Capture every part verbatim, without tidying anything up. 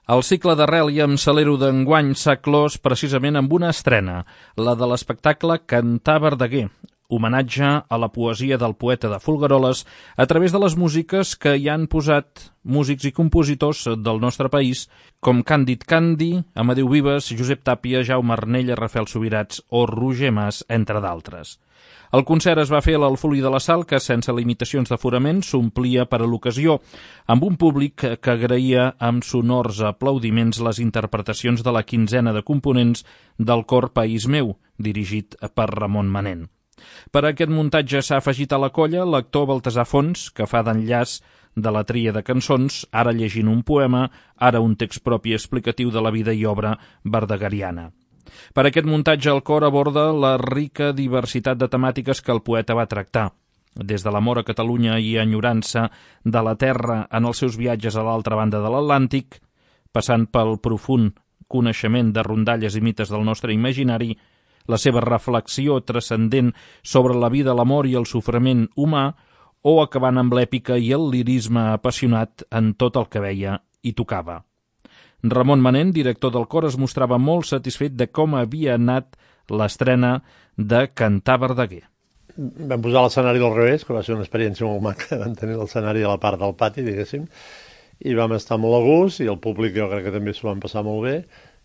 El cicle d'Arrel i amb Salero d'enguany s'ha clos precisament amb una estrena, la de l'espectacle Cantar Verdaguer, homenatge a la poesia del poeta de Folgueroles a través de les músiques que hi han posat músics i compositors del nostre país, com Càndid Candi, Amadeu Vives, Josep Tàpia, Jaume Arnella, Rafael Subirats o Roger Mas, entre d'altres. El concert es va fer a l'Alfolí de la Sal, que sense limitacions d'aforament s'omplia per a l'ocasió, amb un públic que agraïa amb sonors aplaudiments les interpretacions de la quinzena de components del cor País Meu, dirigit per Ramon Manent. Per a aquest muntatge s'ha afegit a la colla l'actor Baltasar Fons, que fa d'enllaç de la tria de cançons, ara llegint un poema, ara un text propi explicatiu de la vida i obra verdagueriana. Per aquest muntatge el cor aborda la rica diversitat de temàtiques que el poeta va tractar, des de l'amor a Catalunya i enyorança de la terra en els seus viatges a l'altra banda de l'Atlàntic, passant pel profund coneixement de rondalles i mites del nostre imaginari, la seva reflexió transcendent sobre la vida, l'amor i el sofriment humà, o acabant amb l'èpica i el lirisme apassionat en tot el que veia i tocava. Ramon Manent, director del cor, es mostrava molt satisfet de com havia anat l'estrena de Cantar Verdaguer. Vam posar l'escenari al revés, que va ser una experiència molt maca. Vam tenir l'escenari a la part del pati, diguéssim, i vam estar molt a gust, i el públic jo crec que també s'ho van passar molt bé.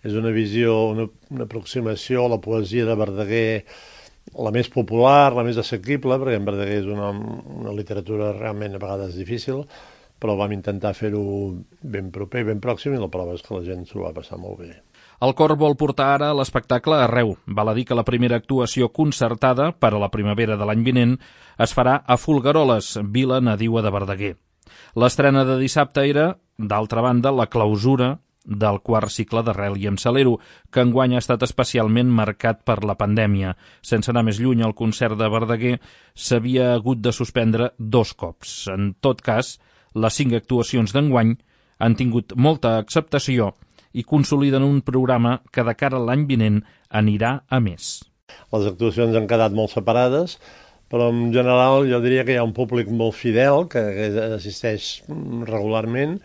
És una visió, una, una aproximació a la poesia de Verdaguer, la més popular, la més assequible, perquè en Verdaguer és una, una literatura realment a vegades difícil, però vam intentar fer-ho ben proper, ben pròxim, i la prova és que la gent s'ho va passar molt bé. El cor vol portar ara l'espectacle arreu. Val a dir que la primera actuació concertada per a la primavera de l'any vinent es farà a Folgueroles, vila nadiua de Verdaguer. L'estrena de dissabte era, d'altra banda, la clausura del quart cicle d'Arrel i amb Salero, que enguany ha estat especialment marcat per la pandèmia. Sense anar més lluny, el concert de Verdaguer s'havia hagut de suspendre dos cops. En tot cas, les cinc actuacions d'enguany han tingut molta acceptació i consoliden un programa que de cara a l'any vinent anirà a més. Les actuacions han quedat molt separades, però en general jo diria que hi ha un públic molt fidel que assisteix regularment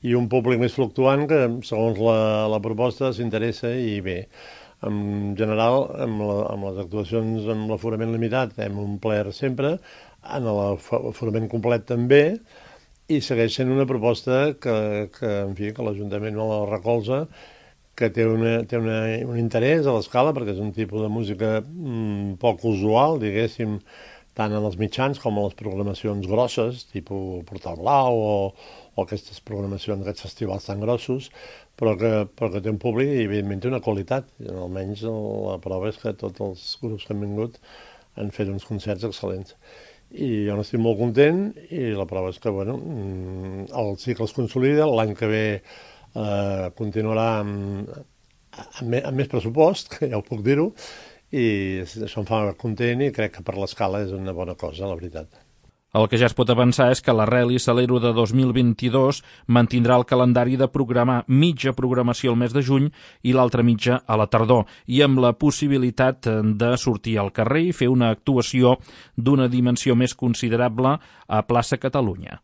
i un públic més fluctuant que, segons la, la proposta, s'interessa i bé. En general, amb, la, amb les actuacions amb l'aforament limitat hem omplert sempre, en l'aforament complet també, i segueix sent una proposta que, que en fi, que l'Ajuntament no la recolza, que té, una, té una, un interès a l'escala, perquè és un tipus de música mm, poc usual, diguéssim, tant en els mitjans com en les programacions grosses, tipus Portal Blau o, o aquestes programacions, aquests festivals tan grossos, però que, però que té un públic i evidentment té una qualitat. Almenys la prova és que tots els grups que han vingut han fet uns concerts excel·lents. I jo n'estic molt content i la prova és que bueno, el cicle es consolida, l'any que ve eh, continuarà amb, amb, amb més pressupost, que ja ho puc dir-ho, i això em fa content i crec que per l'escala és una bona cosa, la veritat. El que ja es pot avançar és que l'Arrel i Salero de dos mil vint-i-dos mantindrà el calendari de programar mitja programació al mes de juny i l'altra mitja a la tardor, i amb la possibilitat de sortir al carrer i fer una actuació d'una dimensió més considerable a Plaça Catalunya.